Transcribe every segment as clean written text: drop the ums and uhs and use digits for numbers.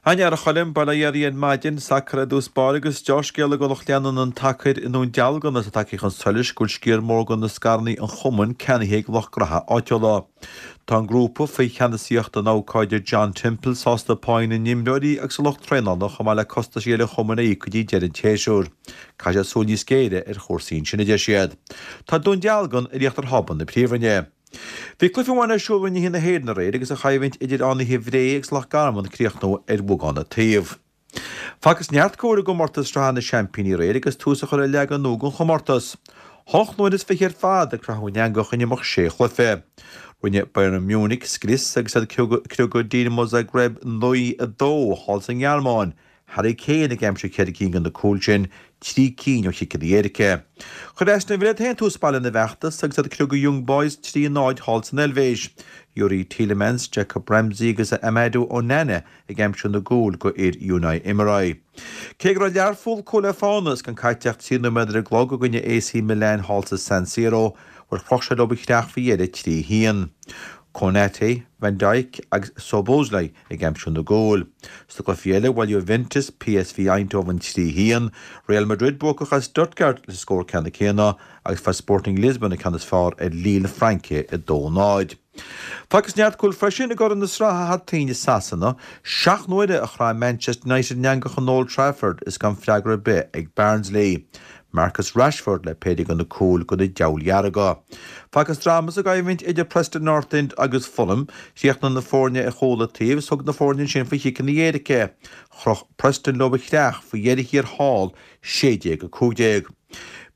An-fhear a Choilm, bail ó Dhia oraibh ar maidin, sacar i dtús báire agus deá-scéala do lucht leanúna an tsacair i nDún Dealgan is é tagtha chun solais go bhfuil sciar mór de na scaireanna an chumainn ceannaithe ag lucht graithe áitiúla. Tá an grúpa, faoi cheannasaíocht an abhcóide John Temple, sásta páí na n-imreoirí agus a lucht traenála chomh maith le costaisí eile an chumainn a íoc go dtí deireadh an tséasúir. Caithfidh siad súil níos géire ar chúrsaí ansin, a deir siad. Tá Dún Dealgan ar íochtar thábla na Príomhroinne. Bhí cluiche amháin ar siúl i Roinn 1 na hÉireann aréir agus an choimhlint idir Fhánaithe Bhré agus Loch Garman ag críochnú ar bheagán an taobh. Facthas neart cúil i gcomórtas Sraithe na Seaimpíní aréir agus tús á chur le leagan nua den chomórtas. Hocht n-uaire is fiche ar fad a croitheadh an eangach in imeacht sé chluiche. Rinne Bayern Munich scrios agus iad ag criogadh Dinamo Zagreb 9-2 thall sa nGearmáin Harry Kane ag aimsiú cheithre cinn de na cúil sin, trí cinn ó chiceanna éirice. Chuir Aston Villa iad féin tús maith lena bhfeachtas agus iad ag criogadh Young Boys 3-0 thall san Eilvéis. Youri Tielemans, Jacob Ramsey agus Amadou Onana ag aimsiú na gcúl do fhir Unai Emery. Cé go raibh Learpholl cúl le fána is gan caite ach 3 nóiméad ar an gclog i gcoinne AC Milan thall sa San Siro, bhuel chroch siad leo an chreach faoi dheireadh 3-1. Konaté, Van Dijk agus Szoboszlai ag aimsiú na gcúl. Sna cluichí eile, bhuail Juventus PSV Eindhoven 3 1, Real Madrid buacach ar Stuttgart leis an scór ceanna céanna agus fuair Sporting Lisbon an ceann is fearr ar Lille na Fraince 2 0. Facthas neart cúl freisin i gCorn na Sraithe thar toinn i Sasana. Seacht n-uaire a chraith Manchester United an eangach in Old Trafford is gan freagra ar bith ag Barnsley. Marcus Rashford le péire de na cúil do na Diabhail Dhearga. Facthas dráma sa gcoimhlint idir Preston North End agus Fulham. Chríochnaigh na foirne ar chúl an taobh is thug na foirne ansin faoi chiceanna éirice. Chroch Preston leo an chreach faoi dheireadh thiar thall, 16-15.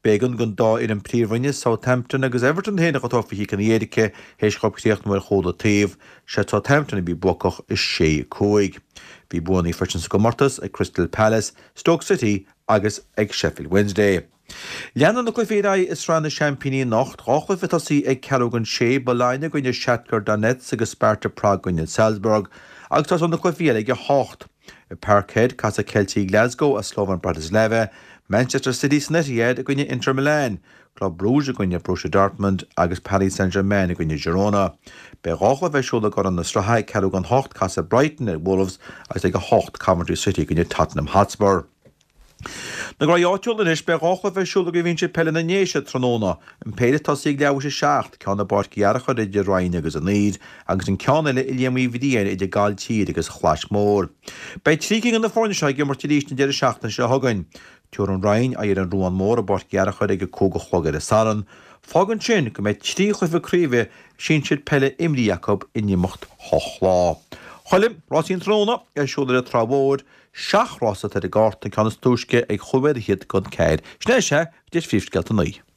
B'éigean don dá fhoireann Príomhroinne, Southampton agus Everton féin a thabhairt faoi chiceanna éirice théis dhóibh críochnú ar chúl an taobh. Sé Southampton a bhí buacach, 6-5. Bhí buanna freisin sa gcomórtas ag Crystal Palace, Stoke City agus ag Sheffield Wednesday. Leanann na cluichí ar aghaidh i Sraith na Seaimpíní anocht, dhá chluiche ag tosaí ag ceathrú don sé, Bologna i gcoinne Shakhtar Donetsk agus Sparta Prague i gcoinne Salzburg, agus tosóidh na cluichí eile ag a hocht. I Parkhead, casfaidh Ceiltigh Glasgow ar Slovan Bratislava, Manchester City san Etihad i gcoinne Inter Milan, Club Brugge i gcoinne Borussia Dortmund agus Paris Saint-Germain i gcoinne Girona. Beidh dhá chluiche ar siúl i gCorn na Sraithe ag ceathrú don hocht, casfaidh Brighton ar Wolves agus ag a hocht, Coventry City i gcoinne Tottenham Hotspur. Na graí áitiúla anois, beidh dhá chluiche ar siúl i gCraobh Shinsir Peile na nDéise tráthnóna, an péire ag tosaí ag leathuair théis a seacht, ceann i bPáirc Uí Fhearchair idir Rinn agus an Aoir agus an ceann eile i Liam Uí Bhriain idir Gailltír agus Chlais Mhór. Beidh trí cinn de na foirne seo ag imirt arís an deireadh seachtaine seo chugainn. Tabharfaidh an Rinn aghaidh ar an Ruán Mór i bPáirc Uí Fhearchair ag a 5 a chlog ar an Satharn. Fágann sin go mbeidh trí chluiche craoibhe sinsir peile imrithe acu in imeacht hocht lá. Choilm, rásaí an tráthnóna ar siúl ar an Trá Mhór, seacht rás atá ar an gcárta, an ceann is túisce ag chúig mhéad fhichead don ceathair. Sin é, sea, go dtí phríomhscéalta an lae.